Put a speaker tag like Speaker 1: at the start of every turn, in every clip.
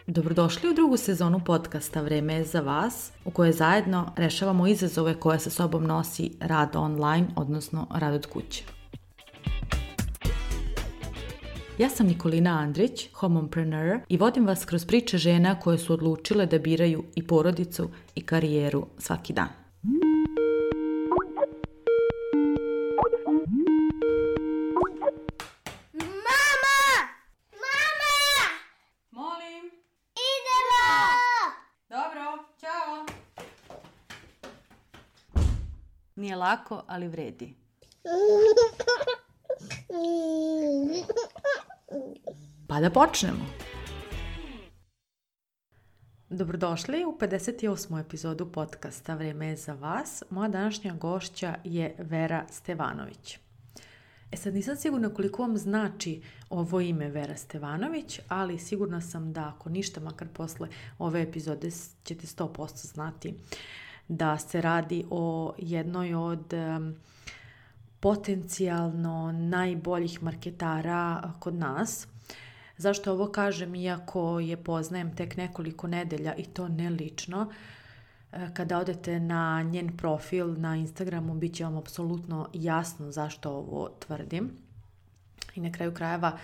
Speaker 1: Dobrodošli u drugu sezonu podcasta Vreme je za vas, u kojoj zajedno rešavamo izazove koje sa sobom nosi rad online, odnosno rad od kuće. Ja sam Nikolina Andrić, homompreneur, i vodim vas kroz priče žena koje su odlučile da biraju i porodicu i karijeru svaki dan. Nije lako, ali vredi. Pa da počnemo. Dobrodošli u 58. epizodu podcasta Vreme je za vas. Moja današnja gošća je Vera Stevanović. Sad nisam sigurna koliko vam znači ovo ime Vera Stevanović, ali sigurna sam da ako ništa, makar posle ove epizode ćete 100% znati da se radi o jednoj od potencijalno najboljih marketara kod nas. Zašto ovo kažem, iako je poznajem tek nekoliko nedelja i to ne lično? Kada odete na njen profil na Instagramu, bit će vam apsolutno jasno zašto ovo tvrdim. I na kraju krajeva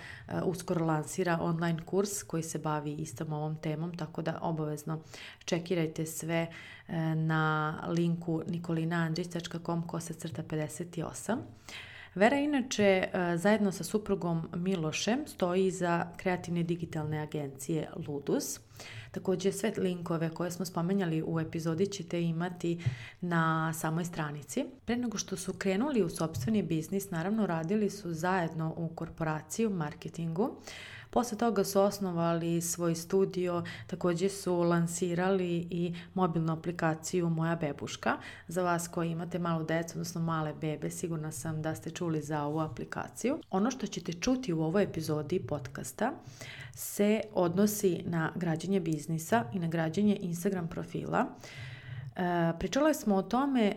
Speaker 1: uskoro lansira online kurs koji se bavi istom ovom temom, tako da obavezno čekirajte sve na linku nikolinaandrić.com/58. Vera inače zajedno sa suprugom Milošem stoji iza kreativne digitalne agencije Ludus. Također sve linkove koje smo spomenjali u epizodi ćete imati na samoj stranici. Pre nego što su krenuli u sopstveni biznis, naravno radili su zajedno u korporaciji, u marketingu. Posle toga su osnovali svoj studio, također su lansirali i mobilnu aplikaciju Moja bebuška. Za vas koji imate malu decu, odnosno male bebe, sigurna sam da ste čuli za ovu aplikaciju. Ono što ćete čuti u ovoj epizodi podcasta se odnosi na građenje biznisa i na građenje Instagram profila. Pričali smo o tome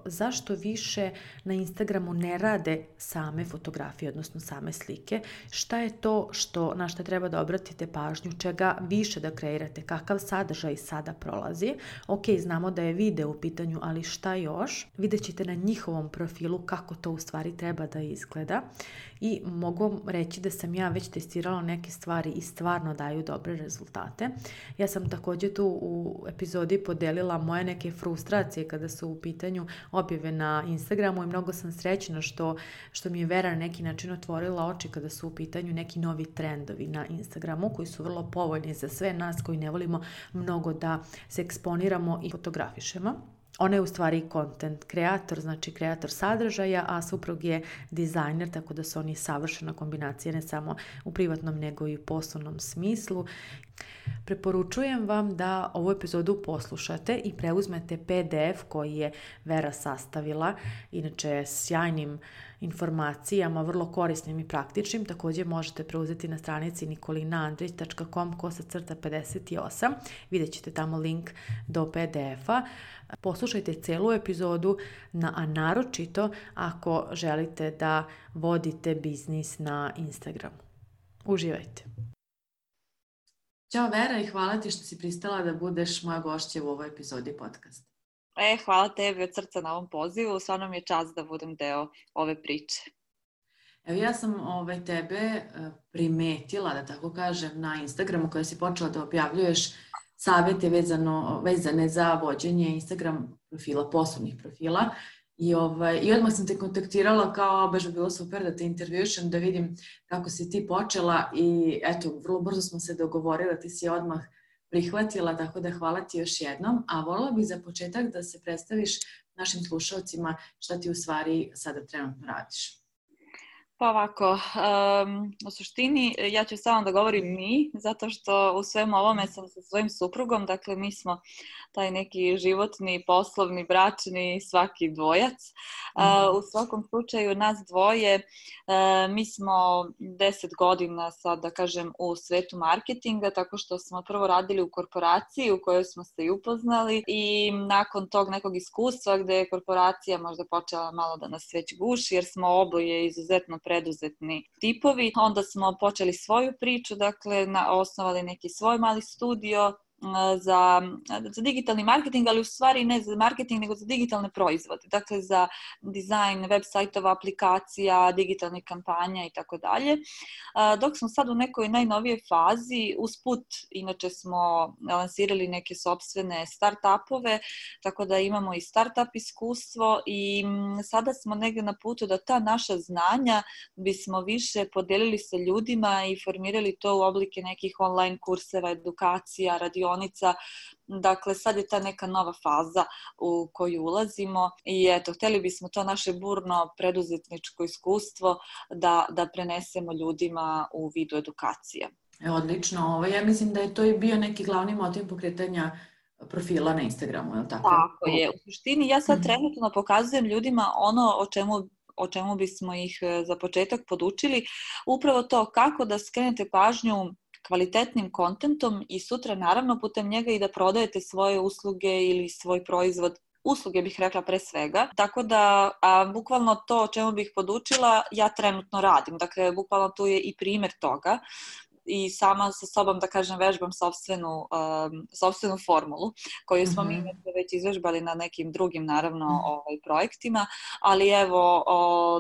Speaker 1: zašto više na Instagramu ne rade same fotografije, odnosno same slike. Šta je to na što treba da obratite pažnju, čega više da kreirate, kakav sadržaj sada prolazi. Ok, znamo da je video u pitanju, ali šta još? Vidjet ćete na njihovom profilu kako to u stvari treba da izgleda. I mogu vam reći da sam ja već testirala neke stvari i stvarno daju dobre rezultate. Ja sam također tu u epizodi podelila moje neke frustracije kada su u pitanju objave na Instagramu i mnogo sam srećna što mi je Vera na neki način otvorila oči kada su u pitanju neki novi trendovi na Instagramu koji su vrlo povoljni za sve nas koji ne volimo mnogo da se eksponiramo i fotografišemo. Ona je u stvari content kreator, znači kreator sadržaja, a suprug je dizajner, tako da su oni savršena kombinacija ne samo u privatnom nego i u poslovnom smislu. Preporučujem vam da ovu epizodu poslušate i preuzmete PDF koji je Vera sastavila, inače sjajnim informacijama, vrlo korisnim i praktičnim. Također možete preuzeti na stranici nikolinaandrić.com/58. Vidjet ćete tamo link do PDF-a. Poslušajte celu epizodu, a naročito ako želite da vodite biznis na Instagramu. Uživajte! Ćao Vera i hvala ti što si pristala da budeš moja gošća u ovoj epizodi podcasta.
Speaker 2: Hvala tebi od srca na ovom pozivu, stvarno mi je čast da budem deo ove priče.
Speaker 1: Evo ja sam tebe primetila, da tako kažem, na Instagramu kada si počela da objavljuješ savjete vezane za vođenje Instagram profila, poslovnih profila. I odmah sam te kontaktirala kao baš bi bilo super da te intervjušem, da vidim kako si ti počela i eto, vrlo brzo smo se dogovorili, ti si odmah prihvatila, tako da hvala ti još jednom. A voljela bih za početak da se predstaviš našim slušalcima šta ti u stvari sada trenutno radiš.
Speaker 2: Pa ovako, u suštini ja ću samo da govorim mi, zato što u svemu ovome sam sa svojim suprugom, dakle mi smo taj neki životni, poslovni, bračni, svaki dvojac. U svakom slučaju nas dvoje, mi smo 10 godina sad da kažem u svetu marketinga, tako što smo prvo radili u korporaciji u kojoj smo se i upoznali i nakon tog nekog iskustva gde je korporacija možda počela malo da nas već guši jer smo oboje izuzetno preduzetni tipovi. Onda smo počeli svoju priču, dakle osnovali neki svoj mali studio za digitalni marketing, ali u stvari ne za marketing, nego za digitalne proizvode. Dakle, za dizajn web sajtova, aplikacija, digitalnih kampanja i tako dalje. Dok smo sad u nekoj najnovijoj fazi, usput, inače smo lansirali neke sopstvene start-upove, tako da imamo i start-up iskustvo i sada smo negdje na putu da ta naša znanja bismo više podelili sa ljudima i formirali to u oblike nekih online kurseva, edukacija, radionica. Dakle, sad je ta neka nova faza u koju ulazimo i eto, htjeli bismo to naše burno preduzetničko iskustvo da prenesemo ljudima u vidu edukacija.
Speaker 1: Odlično. Ja mislim da je to i bio neki glavni motiv pokretanja profila na Instagramu, je li tako?
Speaker 2: Tako je. U suštini ja sad trenutno pokazujem ljudima ono o čemu bismo ih za početak podučili. Upravo to kako da skrenete pažnju kvalitetnim kontentom i sutra naravno putem njega i da prodajete svoje usluge ili svoj proizvod. Usluge bih rekla pre svega, tako da bukvalno to o čemu bih podučila ja trenutno radim. Dakle, bukvalno tu je i primjer toga i sama sa sobom, da kažem, vežbam sopstvenu formulu koju smo mi već izvežbali na nekim drugim, naravno, projektima, ali evo,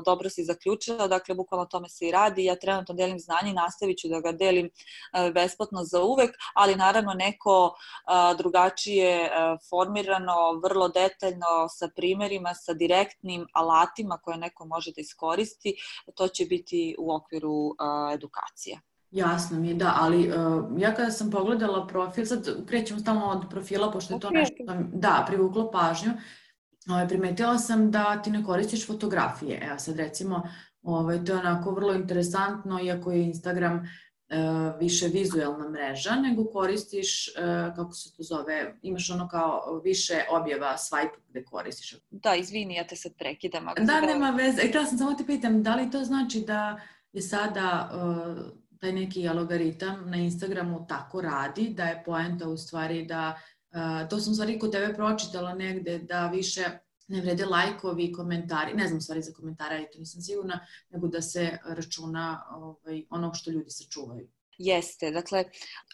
Speaker 2: dobro si zaključila, dakle, bukvalno tome se i radi. Ja trenutno delim znanje i nastavit ću da ga delim besplatno za uvek, ali naravno neko drugačije formirano, vrlo detaljno, sa primjerima, sa direktnim alatima koje neko može da iskoristi, to će biti u okviru edukacije.
Speaker 1: Jasno mi je, da, ali ja kada sam pogledala profil, sad krećemo stalno od profila, pošto je to nešto da privuklo pažnju, primetila sam da ti ne koristiš fotografije. Evo sad recimo, to je onako vrlo interesantno, iako je Instagram više vizuelna mreža, nego koristiš, kako se to zove, imaš ono kao više objava, swipe gde koristiš.
Speaker 2: Da, izvini, ja te sad prekidam.
Speaker 1: Da, nema veze. Htjela sam samo te pitam, da li to znači da je sada taj neki algoritam na Instagramu tako radi, da je poenta u stvari da, to sam u stvari kod tebe pročitala negde, da više ne vrede lajkovi i komentari, ne znam stvari za komentare, to nisam sigurna, nego da se računa ono što ljudi sačuvaju.
Speaker 2: Jeste, dakle,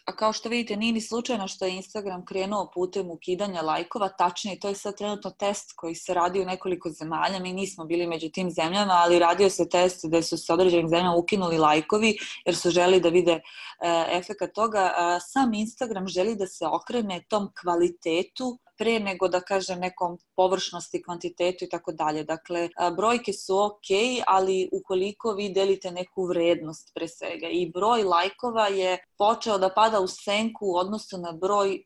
Speaker 2: a kao što vidite nije ni slučajno što je Instagram krenuo putem ukidanja lajkova, tačnije to je sad trenutno test koji se radi u nekoliko zemalja, mi nismo bili među tim zemljama, ali radio se test da su se određenim zemljama ukinuli lajkovi jer su želi da vide efekat toga. Sam Instagram želi da se okrene tom kvalitetu pre nego da kažem nekom površnosti, kvantitetu i tako dalje. Dakle, brojke su ok, ali ukoliko vi delite neku vrednost pre svega i broj lajkova je počeo da pada u senku u odnosu na broj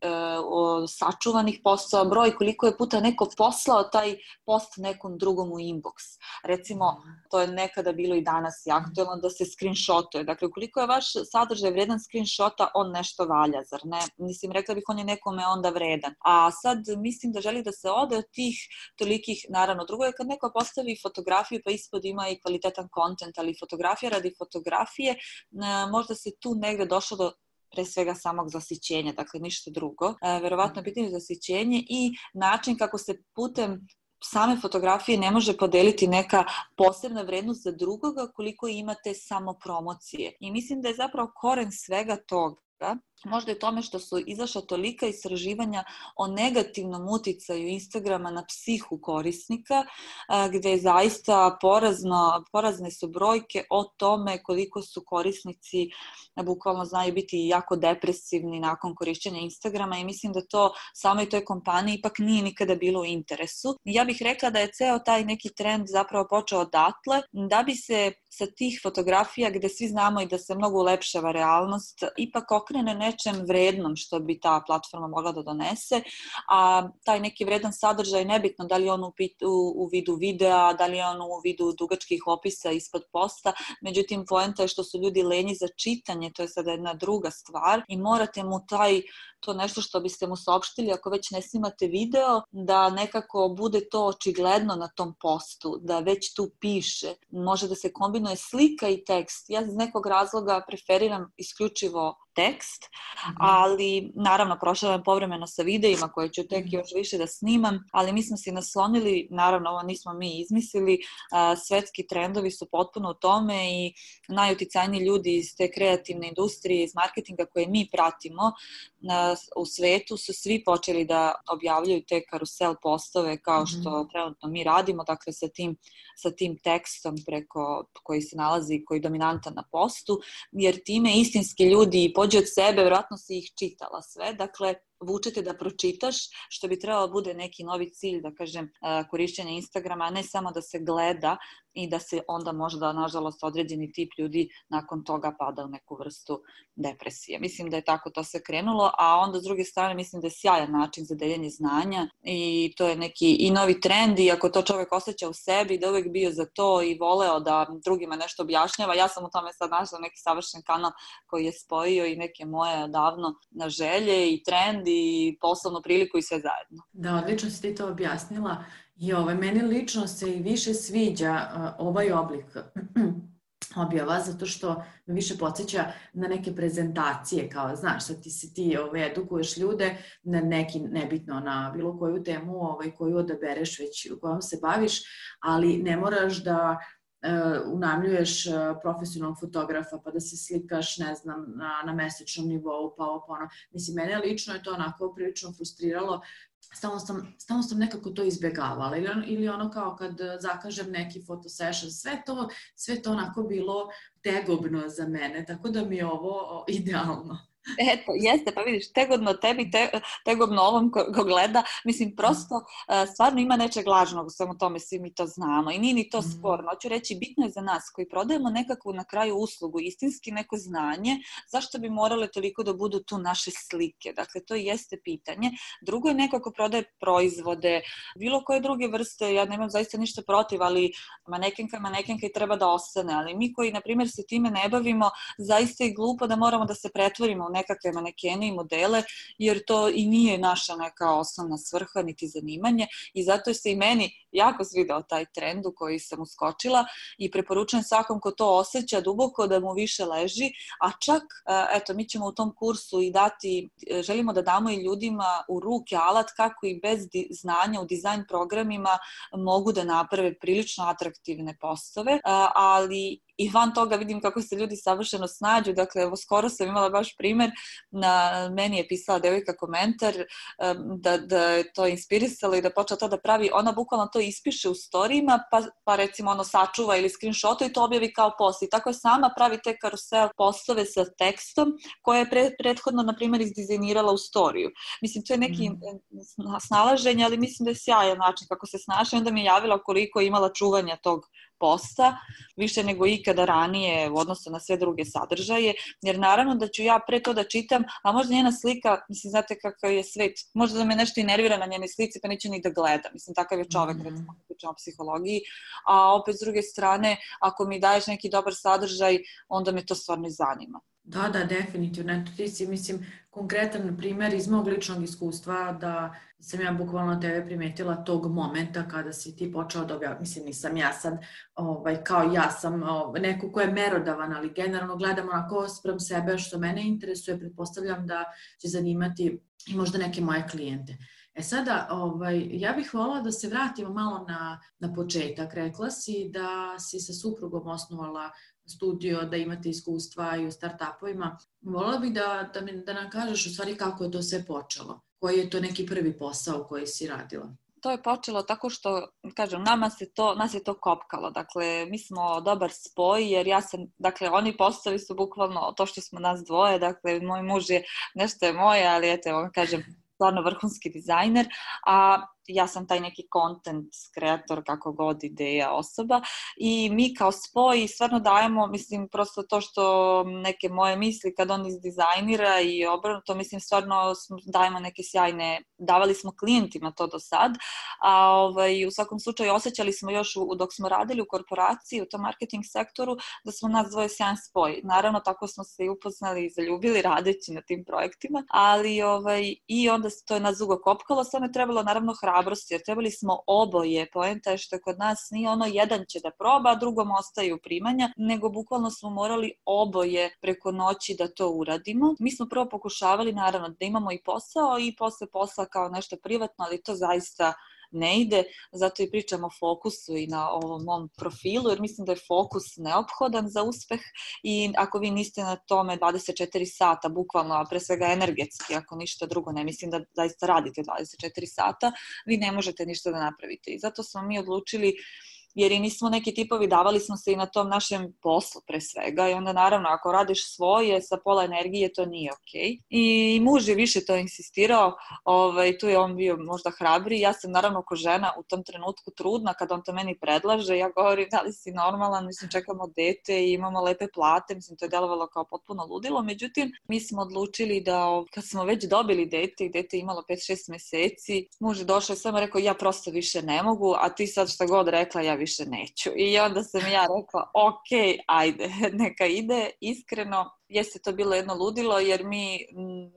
Speaker 2: sačuvanih postova, broj koliko je puta neko poslao taj post nekom drugom u inbox. Recimo, to je nekada bilo i danas i aktuelno da se screenshotuje. Dakle, ukoliko je vaš sadržaj vredan screenshota, on nešto valja, zar ne? Mislim, rekla bih on je nekome onda vredan. A sad mislim da želi da se ode od tih tolikih, naravno, drugo je kad neko postavi fotografiju pa ispod ima i kvalitetan kontent, ali fotografija radi fotografije, možda se tu negde došlo do pre svega samog zasićenja, dakle ništa drugo. Verovatno je pitanje zasićenje i način kako se putem same fotografije ne može podeliti neka posebna vrednost za drugoga koliko imate samo promocije. I mislim da je zapravo koren svega toga možda je tome što su izašla tolika istraživanja o negativnom uticaju Instagrama na psihu korisnika, gde je zaista porazne su brojke o tome koliko su korisnici bukvalno znaju biti jako depresivni nakon korišćenja Instagrama i mislim da to samoj toj kompaniji ipak nije nikada bilo u interesu. Ja bih rekla da je ceo taj neki trend zapravo počeo odatle, da bi se sa tih fotografija gde svi znamo i da se mnogo ulepšava realnost, ipak okrene nečem vrednom što bi ta platforma mogla da donese, a taj neki vredan sadržaj, nebitno da li je on u vidu videa, da li je on u vidu dugačkih opisa ispod posta, međutim poenta je što su ljudi lenji za čitanje, to je sada jedna druga stvar i morate mu to nešto što biste mu saopštili, ako već ne snimate video, da nekako bude to očigledno na tom postu, da već tu piše. Može da se kombinuje slika i tekst. Ja iz nekog razloga preferiram isključivo tekst, ali naravno prošla povremeno sa videima koje ću tek još više da snimam, ali mi smo se naslonili, naravno ovo nismo mi izmislili, svetski trendovi su potpuno u tome i najuticajniji ljudi iz te kreativne industrije, iz marketinga koje mi pratimo u svetu su svi počeli da objavljaju te karusel postove kao što trenutno mi radimo, dakle sa tim tekstom koji se nalazi, koji je dominantan na postu, jer time istinski ljudi pođe od sebe, vjerojatno si ih čitala sve, dakle vučete da pročitaš, što bi trebalo bude neki novi cilj, da kažem, korišćenja Instagrama, a ne samo da se gleda i da se onda možda, nažalost, određeni tip ljudi nakon toga pada u neku vrstu depresije. Mislim da je tako to se krenulo, a onda s druge strane mislim da je sjajan način za deljenje znanja i to je neki i novi trend i ako to čovjek osjeća u sebi, da uvijek bio za to i voleo da drugima nešto objašnjava. Ja sam u tome sad našla neki savršen kanal koji je spojio i neke moje davno na želje i trend i poslovnu priliku i sve zajedno.
Speaker 1: Da, odlično si ti to objasnila i meni lično se i više sviđa ovaj oblik objava, zato što me više podsjeća na neke prezentacije, kao znaš, sad ti edukuješ ljude na neki, nebitno na bilo koju temu koju odabereš već u kojom se baviš, ali ne moraš da unajmljuješ profesionalnog fotografa pa da se slikaš, ne znam, na mesečnom nivou, pa ono. Mislim, mene lično je to onako prilično frustriralo. Stalno sam nekako to izbjegavala ili ono kao kad zakažem neki fotosession, sve to onako bilo tegobno za mene, tako da mi je ovo idealno.
Speaker 2: Eto, jeste, pa vidiš, tegodno tebi, tegobno ovom ko gleda, mislim, prosto stvarno ima nečeg lažnog u svemu tome, svi mi to znamo i nije ni to sporno. Hoću reći, bitno je za nas koji prodajemo nekakvu na kraju uslugu, istinski neko znanje, zašto bi morale toliko da budu tu naše slike? Dakle, to jeste pitanje. Drugo je neko ko prodaje proizvode, bilo koje druge vrste, ja nemam zaista ništa protiv, ali manekenka i treba da ostane, ali mi koji, na primjer, se time ne bavimo, zaista je glupo da moramo da se pretvorimo u nekakve manekene i modele, jer to i nije naša neka osnovna svrha niti zanimanje i zato se i meni jako svidao taj trend u koji sam uskočila i preporučujem svakom ko to osjeća duboko da mu više leži, a čak, eto, mi ćemo u tom kursu i želimo da damo i ljudima u ruke alat kako i bez znanja u dizajn programima mogu da naprave prilično atraktivne postove, ali i van toga vidim kako se ljudi savršeno snađu. Dakle, evo, skoro sam imala baš primjer, meni je pisala devojka komentar da je to inspirisalo i da počela to da pravi, ona bukvalno to ispiše u storijima, pa recimo ono sačuva ili screenshot i to objavi kao post. I tako je sama pravi te karusel postove sa tekstom koje je prethodno, na primjer, izdizajnirala u storiju. Mislim, to je neki snalaženje, ali mislim da je sjajan način kako se snaša i onda mi je javila koliko je imala čuvanja tog posta, više nego ikada ranije u odnosu na sve druge sadržaje, jer naravno da ću ja pre to da čitam, a možda njena slika, mislim, znate kakav je svet, možda da me nešto i nervira na njenoj slici, pa neću ni da gledam, mislim, takav je čovek, recimo, kad pričamo o psihologiji, a opet s druge strane, ako mi daješ neki dobar sadržaj, onda me to stvarno i zanima.
Speaker 1: Da, definitivno. Eto, ti si, mislim, konkretan primjer iz mog ličnog iskustva da sam ja bukvalno tebe primetila tog momenta kada si ti počeo da objavljati. Mislim, nisam ja sad, kao ja sam neko ko je merodavan, ali generalno gledam onako sprem sebe što mene interesuje, pretpostavljam da će zanimati i možda neke moje klijente. Sada, ja bih voljela da se vratimo malo na početak. Rekla si da si sa suprugom osnovala studio, da imate iskustva i u start-upovima. Voljela bih da nam kažeš u stvari kako je to sve počelo. Koji je to neki prvi posao koji si radila?
Speaker 2: To je počelo tako što, kažem, nas je to kopkalo. Dakle, mi smo dobar spoj, jer dakle, oni postavi su bukvalno to što smo nas dvoje. Dakle, moj muž je, nešto je moje, ali eto, kažem, stvarno vrhunski dizajner, a ja sam taj neki content kreator, kako god ideja osoba i mi kao spoj stvarno dajemo, mislim, prosto to što neke moje misli kad on izdizajnira i obrnuto, mislim, stvarno dajemo neke sjajne, davali smo klijentima to do sad, a u svakom slučaju osjećali smo još dok smo radili u korporaciji, u tom marketing sektoru, da smo nas dvoje sjajan spoj. Naravno, tako smo se i upoznali i zaljubili radeći na tim projektima, ali i onda to je nas dugo kopkalo, samo je trebalo naravno hrabrosti hrabrosti, jer trebali smo oboje. Poenta je što kod nas nije ono jedan će da proba, a drugom ostaju primanja, nego bukvalno smo morali oboje preko noći da to uradimo. Mi smo prvo pokušavali naravno da imamo i posao i posle posla kao nešto privatno, ali to zaista ne ide, zato i pričam o fokusu i na ovom mom profilu, jer mislim da je fokus neophodan za uspeh i ako vi niste na tome 24 sata, bukvalno, a pre svega energetski, ako ništa drugo, ne mislim da zaista radite 24 sata, vi ne možete ništa da napravite. I zato smo mi odlučili, jer i nismo neki tipovi, davali smo se i na tom našem poslu pre svega i onda naravno ako radiš svoje sa pola energije to nije okej. I muž je više to insistirao, tu je on bio možda hrabriji, ja sam naravno ko žena u tom trenutku trudna kad on to meni predlaže, ja govorim da li si normalan, mislim čekamo dete i imamo lepe plate, mislim to je delovalo kao potpuno ludilo, međutim mi smo odlučili da kad smo već dobili dete i dete je imalo 5-6 meseci, muž je došao i samo rekao ja prosto više ne mogu, a ti sad šta god rekla ja više neću. I onda sam ja rekla, ok, ajde, neka ide, iskreno. Jeste to bilo jedno ludilo jer mi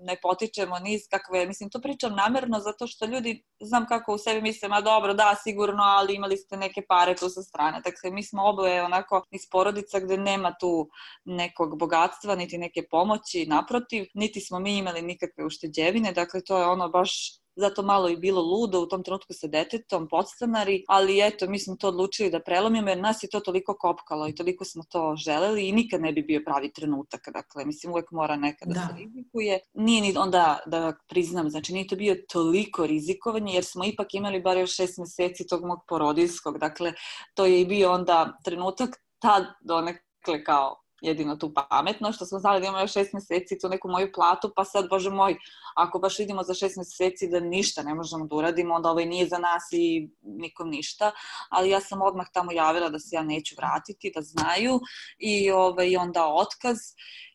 Speaker 2: ne potičemo niz kakve, mislim to pričam namjerno zato što ljudi, znam kako u sebi misle, ma dobro, da, sigurno, ali imali ste neke pare tu sa strane. Dakle, mi smo oboje onako iz porodica gde nema tu nekog bogatstva, niti neke pomoći, naprotiv, niti smo mi imali nikakve ušteđevine, dakle to je ono baš zato malo i bilo ludo u tom trenutku sa detetom, podstanari, ali eto, mi smo to odlučili da prelomimo jer nas je to toliko kopkalo i toliko smo to želeli i nikad ne bi bio pravi trenutak. Dakle, mislim, uvek mora nekada se rizikuje. Nije ni onda da priznam, znači nije to bio toliko rizikovanje jer smo ipak imali bar još 6 meseci tog mog porodiljskog. Dakle, to je i bio onda trenutak tad donekle kao jedino tu pametno, što smo znali da imamo još 6 meseci tu neku moju platu, pa sad, bože moj, ako baš vidimo za 6 meseci da ništa ne možemo da uradimo, onda ovaj nije za nas i nikom ništa, ali ja sam odmah tamo javila da se ja neću vratiti, da znaju i onda otkaz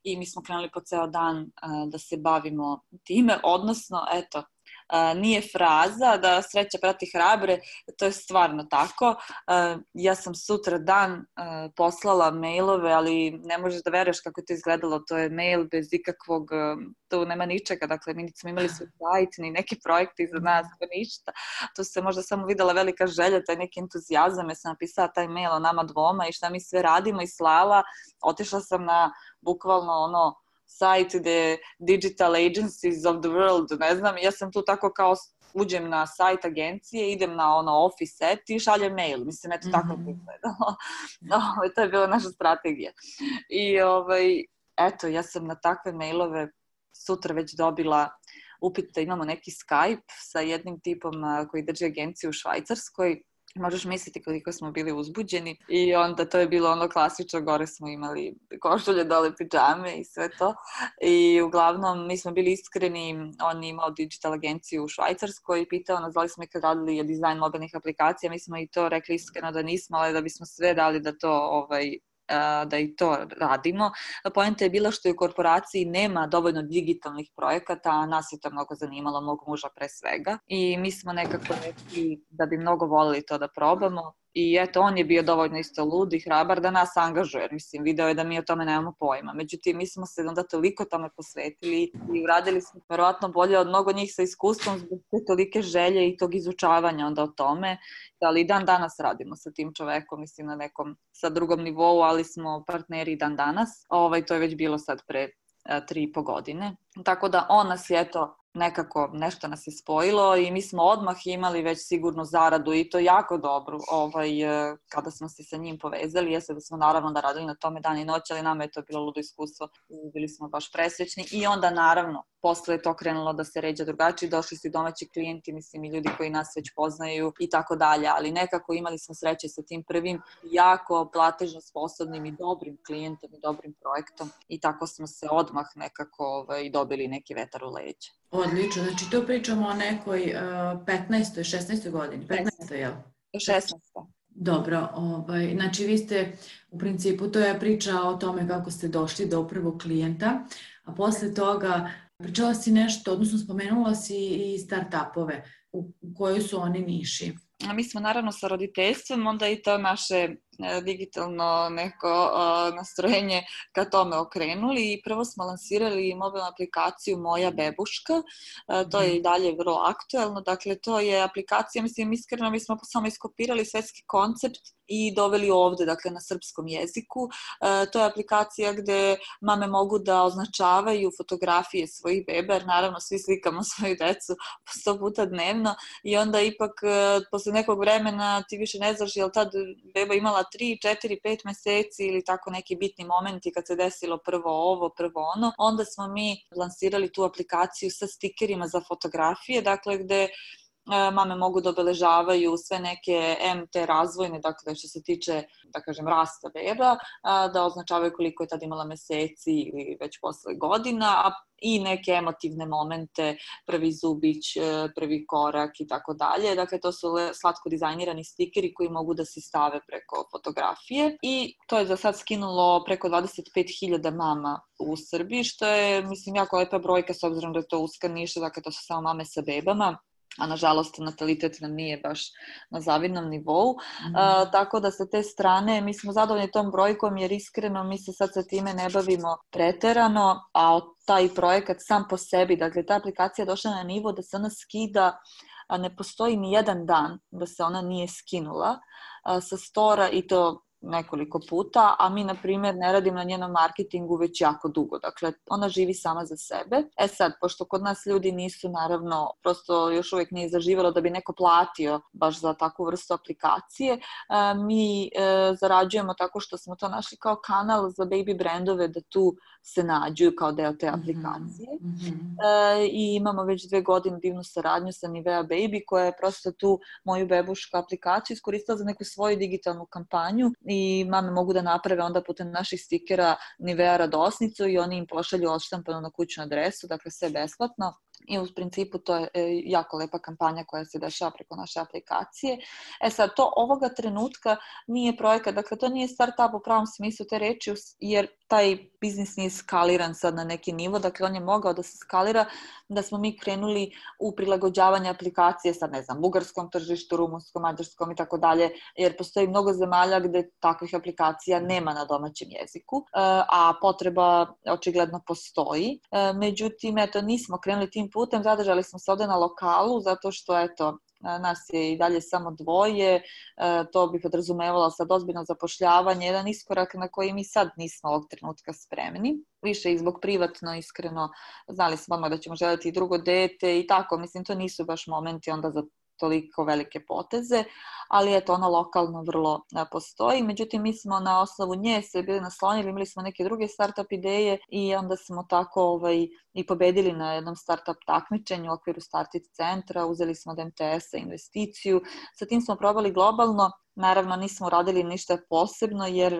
Speaker 2: i mi smo krenuli po ceo dan da se bavimo time, odnosno, eto, nije fraza da sreća prati hrabre, to je stvarno tako. Ja sam sutra dan poslala mailove, ali ne možeš da veruješ kako je to izgledalo, to je mail bez ikakvog, tu nema ničega, dakle mi nismo imali svoj sajt, ni neki projekti iza nas, ništa, tu se možda samo videla velika želja, taj neki entuzijazam, ja sam napisala taj mail o nama dvoma i šta mi sve radimo i slala, otišla sam na bukvalno sajt gde Digital Agencies of the World, ne znam, ja sam tu tako kao uđem na sajt agencije, idem na office set i šaljem mail, mislim, eto tako to izgledalo. To je bila naša strategija. I eto, ja sam na takve mailove sutra već dobila upit da imamo neki Skype sa jednim tipom koji drži agenciju u Švajcarskoj. Možeš misliti koliko smo bili uzbuđeni i onda to je bilo klasično, gore smo imali košulje, dole pidžame i sve to i uglavnom mi smo bili iskreni, on je imao digital agenciju u Švajcarskoj i pitao nas da li smo ikad radili dizajn mobilnih aplikacija, mi smo i to rekli iskreno da nismo, ali da bismo sve dali da to da i to radimo. Poenta je bila što u korporaciji nema dovoljno digitalnih projekata, a nas je to mnogo zanimalo, mog muža pre svega. I mi smo nekako rekli da bi mnogo volili to da probamo. I eto, on je bio dovoljno isto lud i hrabar da nas angažuje. Mislim, video je da mi o tome nemamo pojma. Međutim, mi smo se onda toliko tome posvetili i uradili smo verovatno bolje od mnogo njih sa iskustvom zbog te tolike želje i tog izučavanja onda o tome. Ali i dan danas radimo sa tim čovekom, mislim na nekom sa drugom nivou, ali smo partneri dan danas. To je već bilo sad pre 3,5 godine. Tako da on nas je nekako nešto nas je spojilo i mi smo odmah imali već sigurnu zaradu i to jako dobro kada smo se sa njim povezali. Jeste da smo naravno da radili na tome dan i noć, ali nama je to bilo ludo iskustvo i bili smo baš presrećni i onda naravno posle je to krenulo da se ređa drugačije, došli su i domaći klijenti, mislim i ljudi koji nas već poznaju i tako dalje, ali nekako imali smo sreće sa tim prvim jako platežno sposobnim i dobrim klijentom i dobrim projektom i tako smo se odmah nekako dobili neki vetar u leđa.
Speaker 1: Odlično, znači to pričamo o nekoj 15. 16. godini, 15. jel?
Speaker 2: 16.
Speaker 1: Dobro, znači vi ste u principu, to je priča o tome kako ste došli do prvog klijenta, a posle toga pričala si nešto, odnosno spomenula si i start-upove, u kojoj su oni niši.
Speaker 2: Mi smo naravno sa roditeljstvom, onda i to naše digitalno neko nastrojenje ka tome okrenuli i prvo smo lansirali mobilnu aplikaciju Moja bebuška. To je i dalje vrlo aktuelno. Dakle, to je aplikacija, mislim, iskreno, mi smo samo iskopirali svetski koncept i doveli ovde, dakle, na srpskom jeziku. To je aplikacija gde mame mogu da označavaju fotografije svojih beba, jer naravno svi slikamo svoju decu po 100 puta dnevno i onda ipak posle nekog vremena ti više ne znaš je li tad beba imala 3, 4, 5 meseci ili tako neki bitni momenti kad se desilo prvo ovo, prvo ono. Onda smo mi lansirali tu aplikaciju sa stikerima za fotografije, dakle gde mame mogu da obeležavaju sve neke MT razvojne, dakle što se tiče, da kažem, rasta beba, da označavaju koliko je tad imala meseci ili već posle godina, i neke emotivne momente, prvi zubić, prvi korak i tako dalje. Dakle, to su slatko dizajnirani stikeri koji mogu da se stave preko fotografije i to je za sad skinulo preko 25.000 mama u Srbiji, što je, mislim, jako lepa brojka s obzirom da je to uska niša, dakle to su samo mame sa bebama, a nažalost natalitet nam nije baš na zavidnom nivou. Tako da sa te strane mi smo zadovoljni tom brojkom jer iskreno mi se sad sa time ne bavimo preterano, a taj projekat sam po sebi, dakle ta aplikacija je došla na nivo da se ona skida, a ne postoji ni jedan dan da se ona nije skinula sa stora i to nekoliko puta, a mi, na primjer, ne radimo na njenom marketingu već jako dugo. Dakle, ona živi sama za sebe. Sad, pošto kod nas ljudi nisu, naravno, prosto još uvijek nije zaživjelo da bi neko platio baš za takvu vrstu aplikacije, mi zarađujemo tako što smo to našli kao kanal za baby brandove da tu se nađu kao deo te aplikacije. I imamo već 2 godine divnu saradnju sa Nivea Baby koja je prosto tu moju bebušku aplikaciju iskoristila za neku svoju digitalnu kampanju i mame mogu da naprave onda putem naših stikera Nivea radosnicu i oni im pošalju odštampanu na kućnu adresu, dakle sve besplatno. I u principu to je jako lepa kampanja koja se dešava preko naše aplikacije. Sad, to ovoga trenutka nije projekat, dakle to nije startup u pravom smislu te reči, jer taj biznis nije skaliran sad na neki nivo, dakle on je mogao da se skalira, da smo mi krenuli u prilagođavanje aplikacije sad, ne znam, bugarskom tržištu, rumunskom, mađarskom i tako dalje, jer postoji mnogo zemalja gde takvih aplikacija nema na domaćem jeziku, a potreba očigledno postoji. Međutim, eto, nismo krenuli tim putem, zadržali smo se ovde na lokalu, zato što, eto, nas je i dalje samo 2, to bi podrazumevalo sad ozbiljno zapošljavanje, jedan iskorak na koji mi sad nismo ovog trenutka spremni. Više i zbog privatno, iskreno, znali smo odmah da ćemo želiti i drugo dete i tako, mislim, to nisu baš momenti onda za toliko velike poteze, ali eto, ona lokalno vrlo postoji. Međutim, mi smo na osnovu nje se bili naslonili, imali smo neke druge startup ideje i onda smo tako i pobedili na jednom startup takmičenju u okviru Startit centra, uzeli smo od MTS-a investiciju, sa tim smo probali globalno. Naravno, nismo radili ništa posebno jer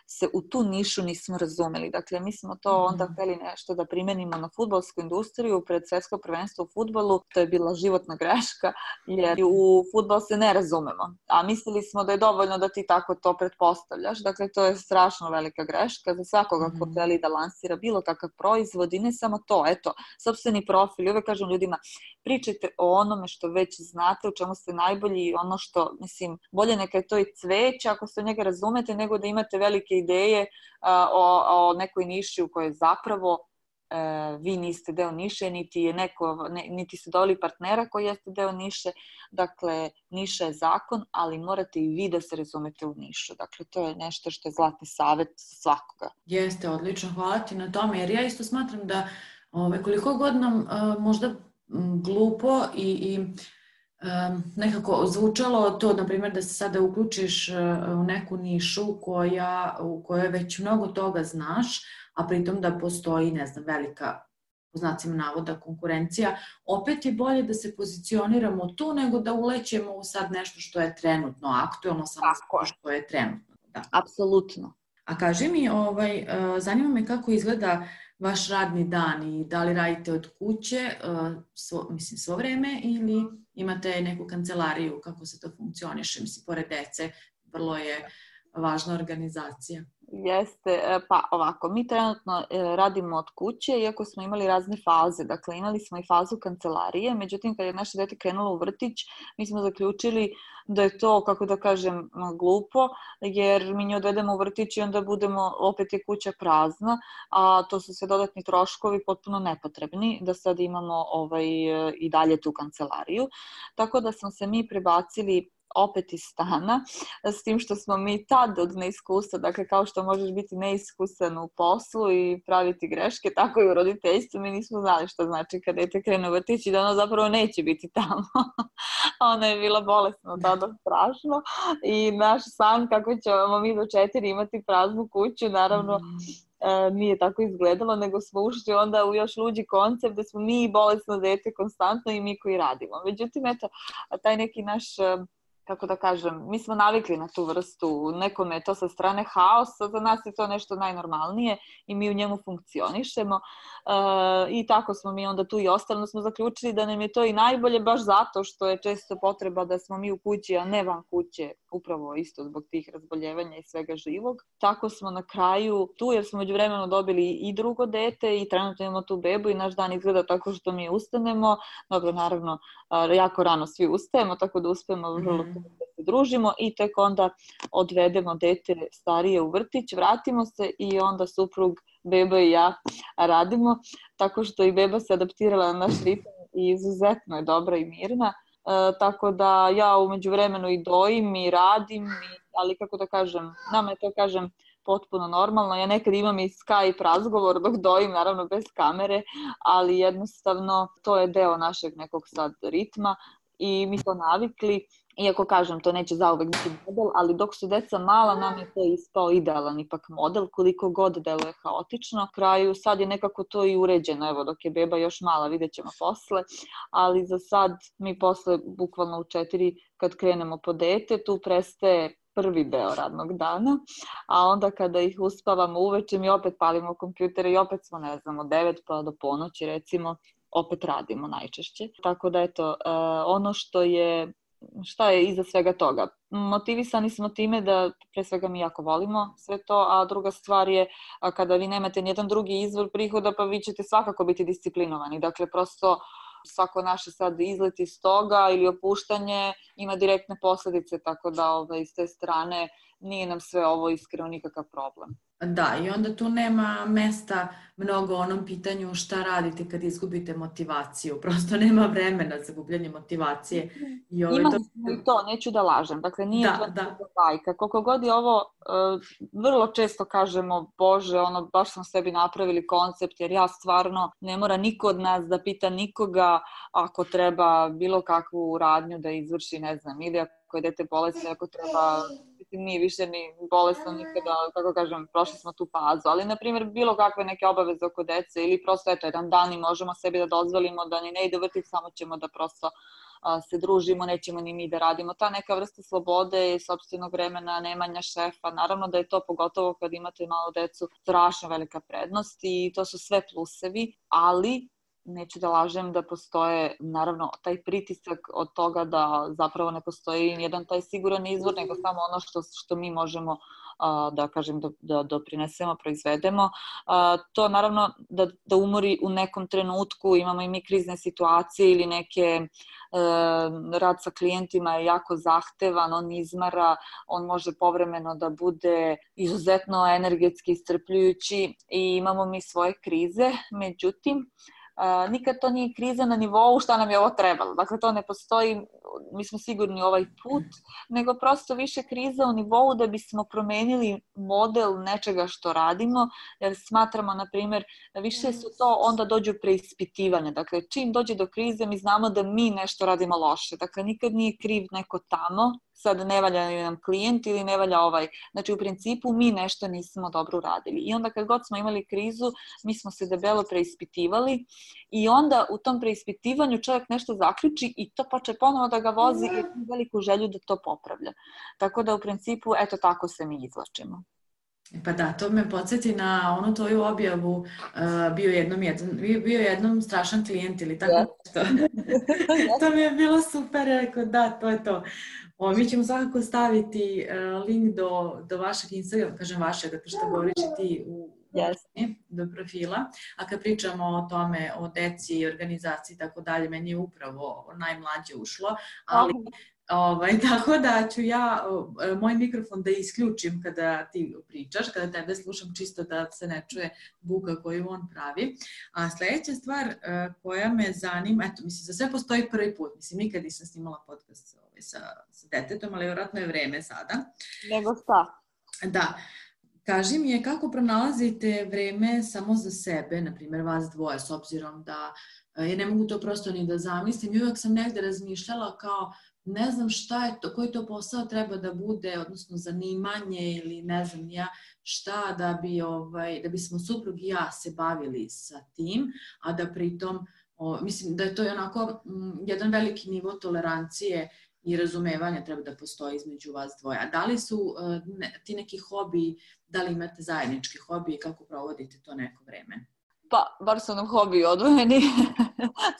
Speaker 2: se u tu nišu nismo razumeli. Dakle, mi smo to onda hteli nešto da primenimo na fudbalsku industriju pred svetsko prvenstvo u fudbalu. To je bila životna greška jer u fudbal se ne razumemo. A mislili smo da je dovoljno da ti tako to pretpostavljaš. Dakle, to je strašno velika greška za svakoga ko želi da lansira bilo kakav proizvod i ne samo to. Eto, sopstveni profil. Uvek kažem ljudima, pričajte o onome što već znate, u čemu ste najbolji i ono što, mislim, bolje neka je to i cveće ako se u njega razumete, nego da imate velike ideje o nekoj niši u kojoj zapravo vi niste deo niše, niti ste doveli partnera koji jeste deo niše. Dakle, niša je zakon, ali morate i vi da se razumete u nišu. Dakle, to je nešto što je zlatni savjet svakoga.
Speaker 1: Jeste, odlično, hvala ti na tome, jer ja isto smatram da koliko god nam možda glupo i nekako zvučalo to, na primjer, da se sada uključiš u neku nišu u kojoj već mnogo toga znaš, a pritom da postoji, ne znam, velika, po znacima navoda, konkurencija, opet je bolje da se pozicioniramo tu nego da ulećemo u sad nešto što je trenutno aktuelno, samo što je trenutno. Da.
Speaker 2: Apsolutno.
Speaker 1: A kaži mi, zanima me kako izgleda vaš radni dan i da li radite od kuće, svo vreme, ili imate neku kancelariju, kako se to funkcioniše, mislim, pored dece, vrlo je važna organizacija.
Speaker 2: Jeste, pa ovako, mi trenutno radimo od kuće, iako smo imali razne faze. Dakle, imali smo i fazu kancelarije, međutim, kad je naše dete krenulo u vrtić, mi smo zaključili da je to, kako da kažem, glupo, jer mi nju odvedemo u vrtić i onda budemo, opet je kuća prazna, a to su sve dodatni troškovi potpuno nepotrebni, da sad imamo i dalje tu kancelariju. Tako da smo se mi prebacili opet iz stana, s tim što smo mi tad od neiskustva, dakle kao što možeš biti neiskusan u poslu i praviti greške, tako i u roditeljstvu, mi nismo znali što znači kad dete krene u vrtić i da ono zapravo neće biti tamo. Ona je bila bolesna tada strašno i naš san kako ćemo mi do 4 imati praznu kuću, naravno nije tako izgledalo, nego smo ušli onda u još luđi koncept da smo mi bolesno dete konstantno i mi koji radimo. Međutim, eto, taj neki naš, kako da kažem, mi smo navikli na tu vrstu, nekome je to sa strane haosa, za nas je to nešto najnormalnije i mi u njemu funkcionišemo i tako smo mi onda tu i ostali, smo zaključili da nam je to i najbolje baš zato što je često potreba da smo mi u kući, a ne van kuće, upravo isto zbog tih razboljevanja i svega živog. Tako smo na kraju tu, jer smo međuvremeno dobili i drugo dete i trenutno imamo tu bebu i naš dan izgleda tako što mi ustanemo. Dobro, naravno, jako rano svi ustajemo, tako da uspemo vrlo da se družimo i tek onda odvedemo dete starije u vrtić, vratimo se i onda suprug, beba i ja radimo, tako što i beba se adaptirala na naš ritam i izuzetno je dobra i mirna. Tako da ja u međuvremenu i dojim i radim, ali kako da kažem, nama je to kažem potpuno normalno. Ja nekad imam i Skype razgovor dok dojim, naravno bez kamere, ali jednostavno to je deo našeg nekog sad ritma i mi smo navikli. Iako kažem, to neće zauvek biti model, ali dok su deca mala, nam je to ispao idealan ipak model, koliko god deluje haotično. Kraju sad je nekako to i uređeno, evo dok je beba još mala, vidjet ćemo posle, ali za sad mi posle, bukvalno u 4, kad krenemo po dete, tu prestaje prvi deo radnog dana, a onda kada ih uspavamo uveče, mi opet palimo kompjutere i opet smo, ne znam, od 9 pa do ponoći recimo, opet radimo najčešće. Tako da eto, ono šta je iza svega toga? Motivisani smo time da pre svega mi jako volimo sve to, a druga stvar je kada vi nemate nijedan drugi izvor prihoda, pa vi ćete svakako biti disciplinovani. Dakle, prosto svako naše sad izlet iz toga ili opuštanje ima direktne posljedice, tako da iz te strane nije nam sve ovo iskreno nikakav problem.
Speaker 1: Da, i onda tu nema mesta mnogo onom pitanju šta radite kad izgubite motivaciju. Prosto nema vremena za gubljenje motivacije.
Speaker 2: Imali smo i to, neću da lažem. Dakle, nije to bajka. Koliko god je ovo, vrlo često kažemo, Bože, baš smo sebi napravili koncept, jer ja stvarno ne mora niko od nas da pita nikoga ako treba bilo kakvu radnju da izvrši, ne znam, ili ako je dete bolesno, ako treba... nije više ni bolesno nikada, kako kažem, prošli smo tu fazu, ali na primjer bilo kakve neke obaveze oko dece ili prosto eto jedan dan i možemo sebi da dozvolimo da ni ne ide vrtić, samo ćemo da prosto se družimo, nećemo ni mi da radimo. Ta neka vrsta slobode i sopstvenog vremena, nemanja šefa, naravno da je to pogotovo kad imate malo decu strašno velika prednost i to su sve plusevi, ali neću da lažem da postoje, naravno, taj pritisak od toga da zapravo ne postoji nijedan taj siguran izvor, nego samo ono što mi možemo da kažem da doprinesemo, proizvedemo. To naravno da umori u nekom trenutku, imamo i mi krizne situacije ili neke rad sa klijentima je jako zahtevan, on izmara, on može povremeno da bude izuzetno energetski iscrpljujući i imamo mi svoje krize, međutim, nikad to nije kriza na nivou šta nam je ovo trebalo. Dakle, to ne postoji, mi smo sigurni ovaj put, nego prosto više kriza u nivou da bismo promenili model nečega što radimo, jer smatramo, na primjer, da više su to onda dođu preispitivanja. Dakle, čim dođe do krize, mi znamo da mi nešto radimo loše. Dakle, nikad nije kriv neko tamo, sad ne valja nam klijent ili ne valja ovaj. Znači, u principu mi nešto nismo dobro uradili. I onda kad god smo imali krizu, mi smo se debelo preispitivali i onda u tom preispitivanju čovjek nešto zaključi i to počne ponovo da ga vozi i ima veliku želju da to popravlja. Tako da u principu, eto tako se mi izvlačimo.
Speaker 1: Pa da, to me podsjeti na onu tvoju objavu, bio jednom strašan klijent ili tako nešto. To mi je bilo super, rekao da, to je to. Mi ćemo svakako staviti link do vašeg Instagrama, kažem vašeg, zato što govoriš i ti do profila. A kad pričamo o tome, o deci, organizaciji i tako dalje, meni je upravo najmlađe ušlo, ali tako da ću ja moj mikrofon da isključim kada ti pričaš, kada tebe slušam, čisto da se ne čuje buka koju on pravi. A sljedeća stvar koja me zanima, eto, mislim, za sve postoji prvi put. Mislim, nikad nisam snimala podcast sa detetom, ali vjerojatno je vreme sada.
Speaker 2: Nego šta?
Speaker 1: Da. Kaži mi je kako pronalazite vreme samo za sebe, na primjer vas dvoje, s obzirom da ja ne mogu to prosto ni da zamislim. I uvijek sam negde razmišljala kao ne znam šta je to, koji to posao treba da bude, odnosno zanimanje ili ne znam ja šta da bismo suprug i ja se bavili sa tim, a da pritom, mislim da je to onako jedan veliki nivo tolerancije i razumevanja treba da postoji između vas dvoje. A da li su ti neki hobiji, da li imate zajednički hobiji i kako provodite to neko vreme?
Speaker 2: Pa, bar su nam hobiji odvojeni,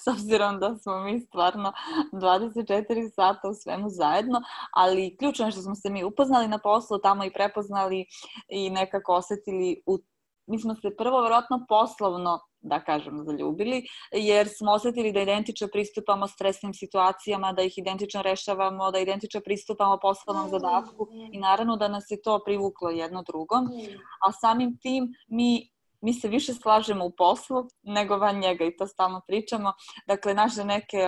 Speaker 2: s obzirom da smo mi stvarno 24 sata u svemu zajedno, ali ključno je što smo se mi upoznali na poslu, tamo i prepoznali i nekako osjetili, mi smo se prvo vjerojatno poslovno, da kažem, zaljubili, jer smo osjetili da identično pristupamo stresnim situacijama, da ih identično rešavamo, da identično pristupamo poslovnom zadatku i naravno da nas je to privuklo jedno drugom, a samim tim mi se više slažemo u poslu nego van njega i to stalno pričamo. Dakle, naše neke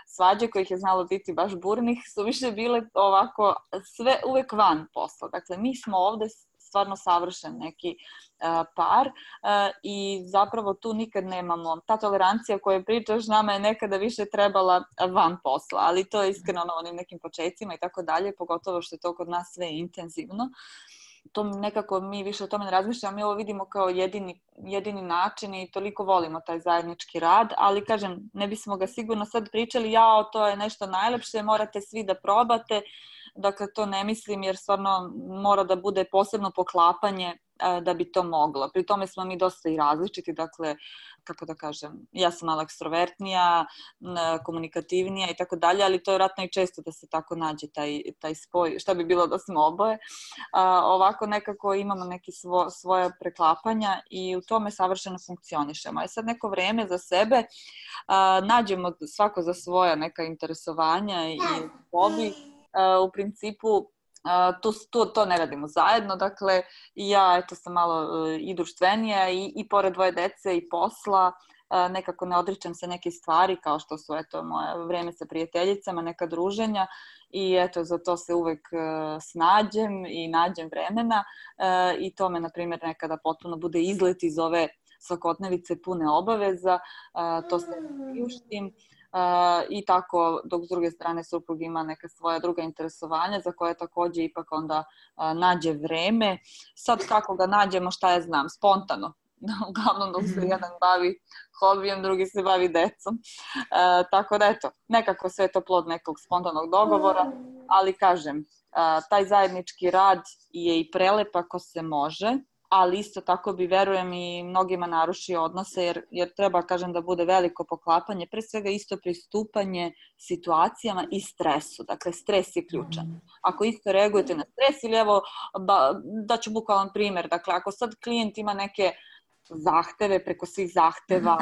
Speaker 2: svađe kojih je znalo biti baš burnih su više bile ovako sve uvek van posla. Dakle, mi smo ovde stvarno savršen neki par i zapravo tu nikad nemamo. Ta tolerancija koju pričaš nama je nekada više trebala van posla, ali to je iskreno na onim nekim početcima i tako dalje, pogotovo što je to kod nas sve intenzivno. To nekako mi više o tome ne razmišljamo, mi ovo vidimo kao jedini način i toliko volimo taj zajednički rad, ali kažem, ne bismo ga sigurno sad pričali, to je nešto najlepše, morate svi da probate, dakle to ne mislim jer stvarno mora da bude posebno poklapanje da bi to moglo. Pri tome smo mi dosta i različiti, dakle, kako da kažem, ja sam malo ekstrovertnija, komunikativnija i tako dalje, ali to je vjerojatno i često da se tako nađe taj spoj, šta bi bilo da smo oboje. Ovako nekako imamo neke svoje preklapanja i u tome savršeno funkcionišemo. A sad neko vreme za sebe nađemo svako za svoja neka interesovanja i hobi. U principu to ne radimo zajedno, dakle ja sam malo i društvenija i pored dvoje dece i posla nekako ne odričem se neke stvari kao što su moje vreme sa prijateljicama, neka druženja i za to se uvek snađem i nađem vremena i to me na primjer nekada potpuno bude izlet iz ove svakodnevice pune obaveza, to se priuštim. I tako, dok s druge strane suprug ima neka svoja druga interesovanja za koje također ipak onda nađe vreme. Sad kako ga nađemo, šta ja znam, spontano. Uglavnom dok se jedan bavi hobijem, drugi se bavi decom. Tako da nekako sve je to plod nekog spontanog dogovora, ali kažem, taj zajednički rad je i prelep ako se može, ali isto tako bi, verujem, i mnogima narušio odnose, jer treba, kažem, da bude veliko poklapanje, pre svega isto pristupanje situacijama i stresu. Dakle, stres je ključan. Ako isto reagujete na stres ili daću bukvalan primjer, dakle, ako sad klijent ima neke zahteve preko svih zahteva,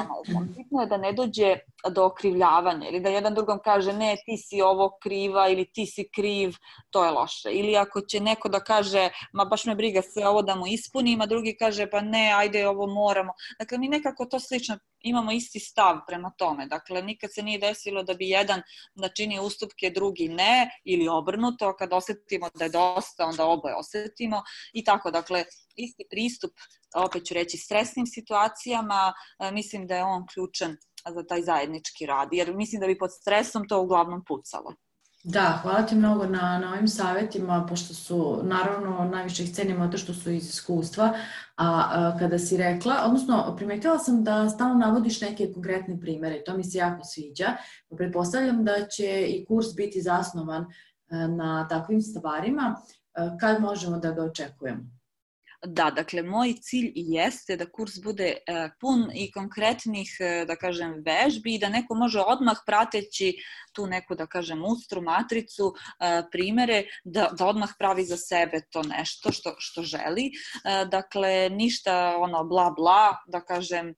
Speaker 2: bitno je da ne dođe do okrivljavanja ili da jedan drugom kaže ne, ti si ovo kriva ili ti si kriv, to je loše. Ili ako će neko da kaže ma baš me briga sve ovo da mu ispunim, a drugi kaže pa ne, ajde ovo moramo. Dakle, mi nekako to slično imamo isti stav prema tome. Dakle, nikad se nije desilo da bi jedan načini ustupke, drugi ne, ili obrnuto, kad osetimo da je dosta, onda oboje osetimo i tako. Dakle, isti pristup, opet ću reći, stresnim situacijama, mislim da je on ključan za taj zajednički rad, jer mislim da bi pod stresom to uglavnom pucalo.
Speaker 1: Da, hvala ti mnogo na ovim savjetima, pošto su, naravno, najviše ih cenimo to što su iz iskustva, a kada si rekla, odnosno primetila sam da stalno navodiš neke konkretne primere, to mi se jako sviđa, pretpostavljam da će i kurs biti zasnovan na takvim stvarima, kad možemo da ga očekujemo?
Speaker 2: Da, dakle, moj cilj i jeste da kurs bude pun i konkretnih, da kažem, vežbi i da neko može odmah prateći tu neku, da kažem, ustru, matricu, primere, da odmah pravi za sebe to nešto što želi. Dakle, ništa ono bla bla, da kažem,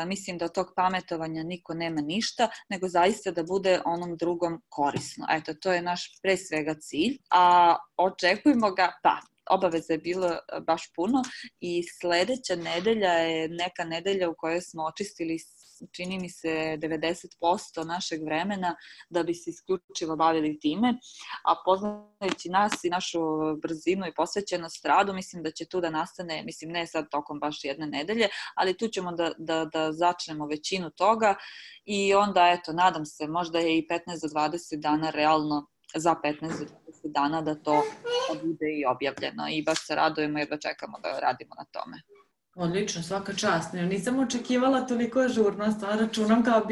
Speaker 2: mislim da od tog pametovanja niko nema ništa, nego zaista da bude onom drugom korisno. Eto, to je naš pre svega cilj, a očekujemo ga, obaveza je bilo baš puno i sledeća nedelja je neka nedelja u kojoj smo očistili, čini mi se, 90% našeg vremena da bi se isključivo bavili time, a poznajući nas i našu brzinu i posvećenost radu, mislim da će tu da nastane, mislim ne sad tokom baš jedne nedelje, ali tu ćemo da začnemo većinu toga i onda, eto, nadam se, možda je i 15 do 20 dana realno, za 15 do 20 dana da to bude i objavljeno i baš se radujemo jer da čekamo da radimo na tome.
Speaker 1: Odlično, svaka čast. Nisam očekivala toliko ažurnost, a računam kao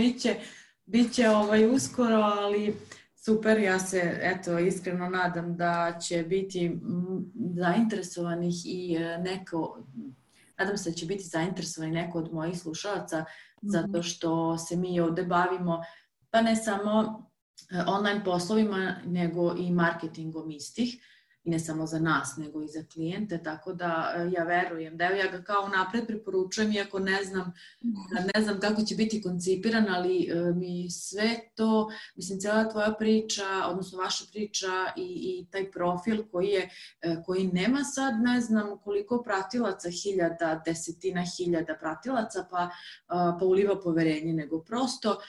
Speaker 1: biće uskoro, ali super, ja se iskreno nadam da će biti zainteresovanih i nadam se da će biti zainteresovani neko od mojih slušalaca, zato što se mi ovde bavimo, pa ne samo online poslovima, nego i marketingom istih. I ne samo za nas, nego i za klijente, tako da ja verujem da ja ga kao napred preporučujem, iako ne znam kako će biti koncipiran, ali mi sve to, mislim, cijela tvoja priča, odnosno vaša priča i taj profil koji nema sad, ne znam koliko pratilaca, desetina hiljada pratilaca, pa uliva poverenje, nego prosto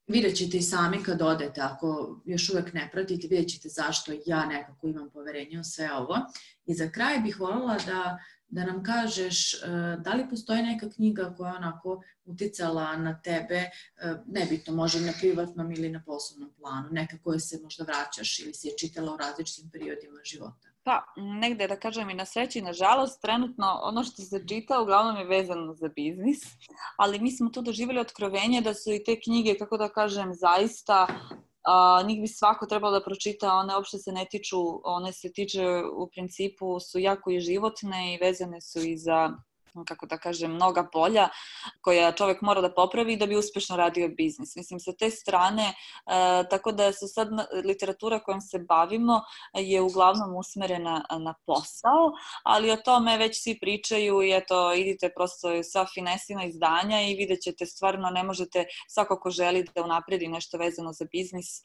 Speaker 1: vidjet ćete i sami kad odete, ako još uvek ne pratite, vidjet ćete zašto ja nekako imam poverenje u sve ovo. I za kraj bih voljela da nam kažeš da li postoji neka knjiga koja je onako uticala na tebe, nebitno, može na privatnom ili na poslovnom planu, neka koja se možda vraćaš ili si je čitala u različitim periodima života.
Speaker 2: Pa, negde da kažem i na sreći i na žalost, trenutno ono što se čita uglavnom je vezano za biznis, ali mi smo tu doživjeli otkrovenje da su i te knjige, kako da kažem, zaista njih bi svako trebalo da pročita, one uopšte se ne tiču, one se tiče u principu, su jako i životne i vezane su i za, kako da kažem, mnoga polja koja čovek mora da popravi da bi uspešno radio biznis. Mislim, sa te strane, tako da se sad literatura kojom se bavimo je uglavnom usmerena na posao, ali o tome već svi pričaju i eto, idite prosto sa finesima izdanja i vidjet ćete, stvarno ne možete, svako ko želi da unapredi nešto vezano za biznis,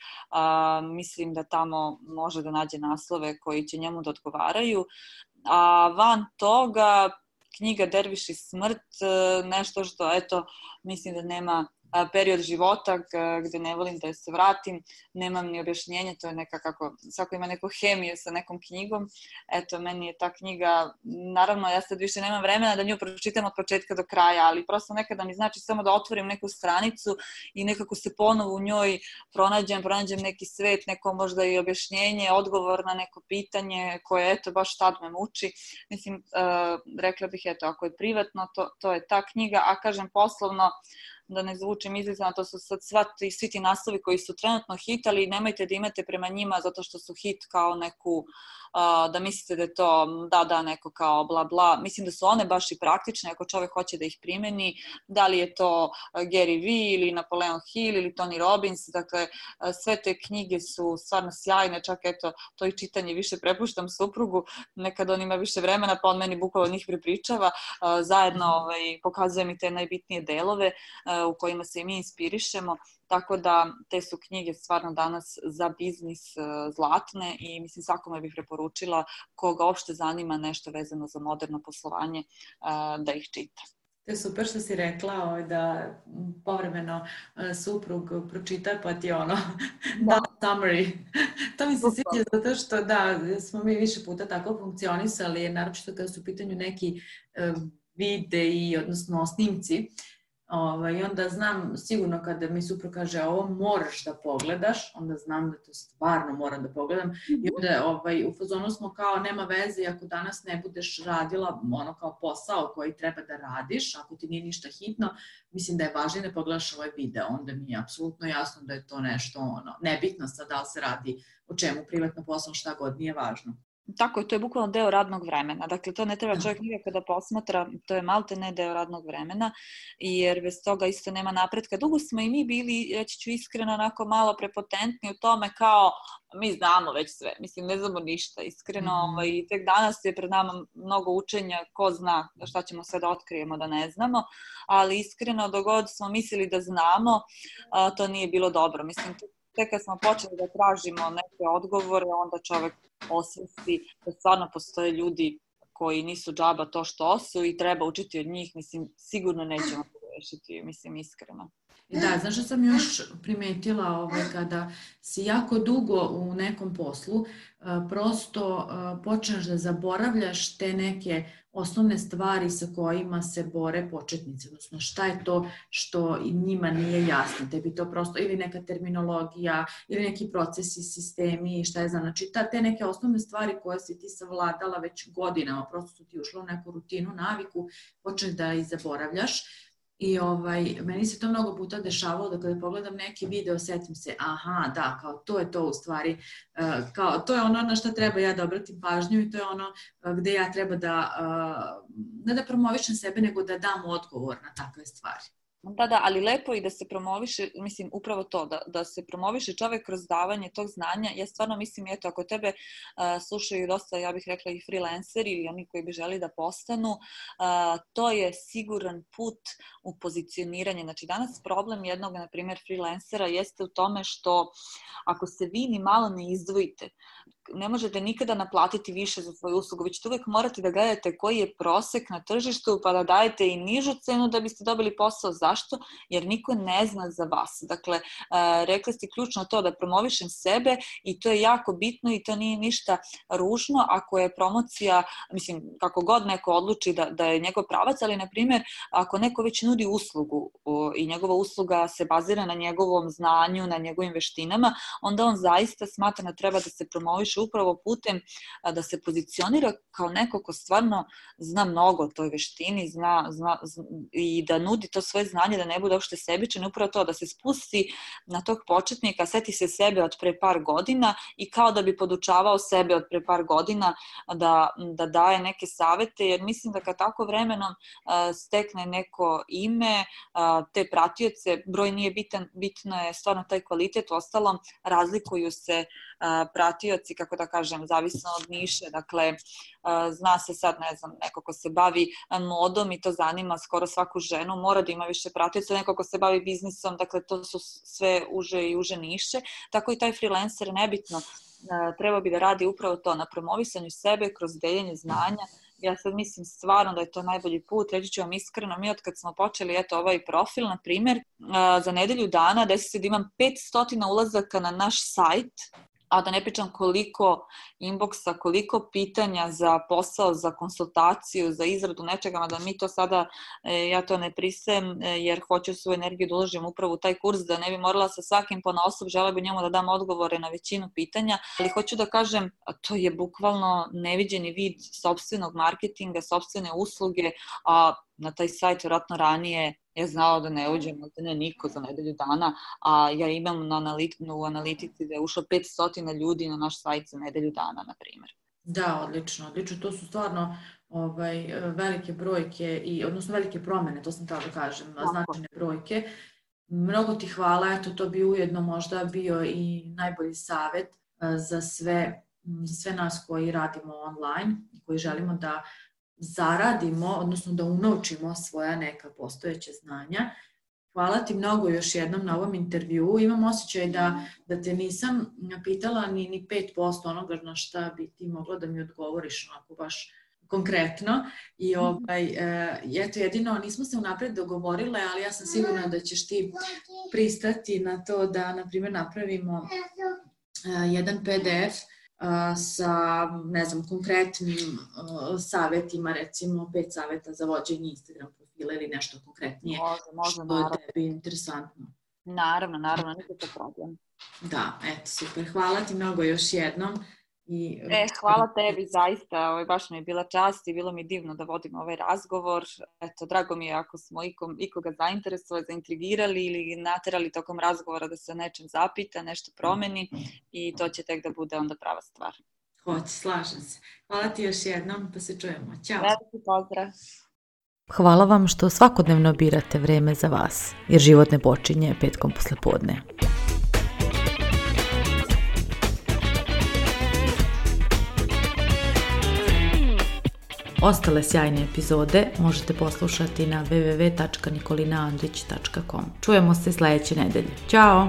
Speaker 2: mislim da tamo može da nađe naslove koji će njemu da odgovaraju. A van toga, knjiga Derviš i smrt, nešto što, eto, mislim da nema period života gde ne volim da se vratim, nemam ni objašnjenje, to je neka kako, svako ima neku hemiju sa nekom knjigom, eto, meni je ta knjiga, naravno, ja sad više nemam vremena da nju pročitam od početka do kraja, ali prosto nekada mi znači samo da otvorim neku stranicu i nekako se ponovo u njoj pronađem neki svet, neko možda i objašnjenje, odgovor na neko pitanje koje, eto, baš tad me muči. Mislim, rekla bih, eto, ako je privatno, to je ta knjiga, a kažem poslovno, da ne zvučim izlizano, to su sad svi ti naslovi koji su trenutno hit, ali nemojte da imate prema njima zato što su hit kao neku, da mislite da je to neko kao bla bla. Mislim da su one baš i praktične ako čovek hoće da ih primeni, da li je to Gary Vee ili Napoleon Hill ili Tony Robbins, dakle sve te knjige su stvarno sjajne, čak eto to i čitanje više prepuštam suprugu, nekad on ima više vremena pa on meni bukvalno njih prepričava, zajedno pokazuje mi te najbitnije delove u kojima se i mi inspirišemo, tako da te su knjige stvarno danas za biznis zlatne i mislim svakome bih preporučila koga uopšte zanima nešto vezano za moderno poslovanje da ih čita.
Speaker 1: To je super što si rekla da povremeno suprug pročita pa ti da summary. To mi se sviđa zato što smo mi više puta tako funkcionisali, naročito kada su u pitanju neki videi, odnosno snimci. I onda znam sigurno kada mi suprug kaže ovo moraš da pogledaš, onda znam da to stvarno moram da pogledam i onda u fazonu smo kao nema veze ako danas ne budeš radila kao posao koji treba da radiš, ako ti nije ništa hitno, mislim da je važno da pogledaš ovaj video, onda mi je apsolutno jasno da je to nešto nebitno sad da li se radi o čemu, privatno posao, šta god, nije važno.
Speaker 2: Tako je, to je bukvalno deo radnog vremena. Dakle, to ne treba čovjek nikako da posmatra, to je malte ne deo radnog vremena, jer bez toga isto nema napretka. Dugo smo i mi bili, reći ću iskreno, onako malo prepotentni u tome kao mi znamo već sve. Mislim, ne znamo ništa, iskreno. I tek danas je pred nama mnogo učenja, ko zna šta ćemo sve da otkrijemo da ne znamo, ali iskreno, dok god smo mislili da znamo, to nije bilo dobro. Mislim, tek kad smo počeli da tražimo neke odgovore, onda čovjek osvesti da stvarno postoje ljudi koji nisu džaba to što su i treba učiti od njih. Mislim, sigurno nećemo rešiti, mislim, iskreno.
Speaker 1: Da, znaš što sam još primetila kada si jako dugo u nekom poslu, prosto počneš da zaboravljaš te neke osnovne stvari sa kojima se bore početnici, odnosno šta je to što njima nije jasno, tebi to prosto ili neka terminologija ili neki procesi, sistemi, šta je znači te neke osnovne stvari koje si ti savladala već godinama, prosto su ti ušle u neku rutinu, naviku, počneš da ih zaboravljaš. I meni se to mnogo puta dešavalo da kada pogledam neki video setim se, aha, da, kao to je to u stvari, kao to je ono na što treba ja da obratim pažnju i to je ono gde ja treba da, ne da promovišem sebe, nego da dam odgovor na takve stvari.
Speaker 2: Da, ali lepo i da se promoviše, mislim, upravo to, da se promoviše čovjek kroz davanje tog znanja. Ja stvarno mislim, eto, ako tebe slušaju dosta, ja bih rekla i freelanceri ili oni koji bi želi da postanu, to je siguran put u pozicioniranje. Znači, danas problem jednog, na primjer, freelancera jeste u tome što ako se vi ni malo ne izdvojite, ne možete nikada naplatiti više za svoju uslugu, vi ćete uvijek morati da gledate koji je prosek na tržištu pa da dajete i nižu cenu da biste dobili posao. Zašto? Jer niko ne zna za vas. Dakle, rekli ste ključno to da promovišem sebe i to je jako bitno i to nije ništa ružno ako je promocija, mislim, kako god neko odluči da je njegov pravac, ali, na primjer, ako neko već nudi uslugu i njegova usluga se bazira na njegovom znanju, na njegovim veštinama, onda on zaista smatra da treba da se promoviše upravo putem da se pozicionira kao neko ko stvarno zna mnogo o toj veštini, zna i da nudi to svoje znanje, da ne bude uopšte sebičan, upravo to da se spusti na tog početnika, seti se sebe od pre par godina i kao da bi podučavao sebe od pre par godina da daje neke savete, jer mislim da kad tako vremenom stekne neko ime, te pratioce, broj nije bitan, bitno je stvarno taj kvalitet. Uostalom, razlikuju se pratioci, kako da kažem, zavisno od niše. Dakle, zna se sad, ne znam, neko ko se bavi modom i to zanima skoro svaku ženu, mora da ima više pratioca, neko ko se bavi biznisom, dakle, to su sve uže i uže niše. Tako i taj freelancer, nebitno, treba bi da radi upravo to, na promovisanju sebe kroz deljenje znanja. Ja sad mislim stvarno da je to najbolji put. Reći ću vam iskreno, mi od kad smo počeli ovaj profil, na primjer, za nedelju dana desi se da imam 500 ulazaka na naš sajt, a da ne pričam koliko inboxa, koliko pitanja za posao, za konsultaciju, za izradu nečega, da mi to sada, ja to ne pristajem jer hoću svoju energiju da uložim upravo u taj kurs, da ne bi morala sa svakim ponaosob, žele bi njemu da dam odgovore na većinu pitanja, ali hoću da kažem, to je bukvalno neviđeni vid sopstvenog marketinga, sopstvene usluge, a na taj sajt vjerojatno ranije je znao da ne uđem, da ne niko za nedelju dana, a ja imam u analitici da je ušlo 500 ljudi na naš sajt za nedelju dana, na primjer.
Speaker 1: Da, odlično. To su stvarno velike brojke, odnosno velike promene, to sam tada da kažem, značajne brojke. Mnogo ti hvala, eto to bi ujedno možda bio i najbolji savjet za sve nas koji radimo online i koji želimo da zaradimo, odnosno da unovčimo svoja neka postojeća znanja. Hvala ti mnogo još jednom na ovom intervjuu. Imam osjećaj da te nisam pitala ni 5% onoga na šta bi ti mogla da mi odgovoriš onako baš konkretno. I eto, jedino nismo se unapred dogovorile, ali ja sam sigurna da ćeš ti pristati na to da, na primjer, napravimo jedan PDF sa, ne znam, konkretnim savjetima, recimo 5 savjeta za vođenje Instagram profila ili nešto konkretnije što je tebi interesantno.
Speaker 2: Naravno, nikakav problem.
Speaker 1: Da, eto, super. Hvala ti mnogo još jednom.
Speaker 2: Hvala tebi, zaista, baš mi je bila čast i bilo mi divno da vodim ovaj razgovor. Eto, drago mi je ako smo ikoga zainteresovali, zaintrigirali ili naterali tokom razgovora da se o nečem zapita, nešto promeni i to će tek da bude onda prava stvar.
Speaker 3: Hoće, slažem se. Hvala ti još jednom, pa se čujemo. Ćao.
Speaker 2: Veliki pozdrav.
Speaker 1: Hvala vam što svakodnevno birate vreme za vas, jer život ne počinje petkom poslepodne. Ostale sjajne epizode možete poslušati na www.nikolinaandrić.com. Čujemo se sljedeće nedelje. Ćao!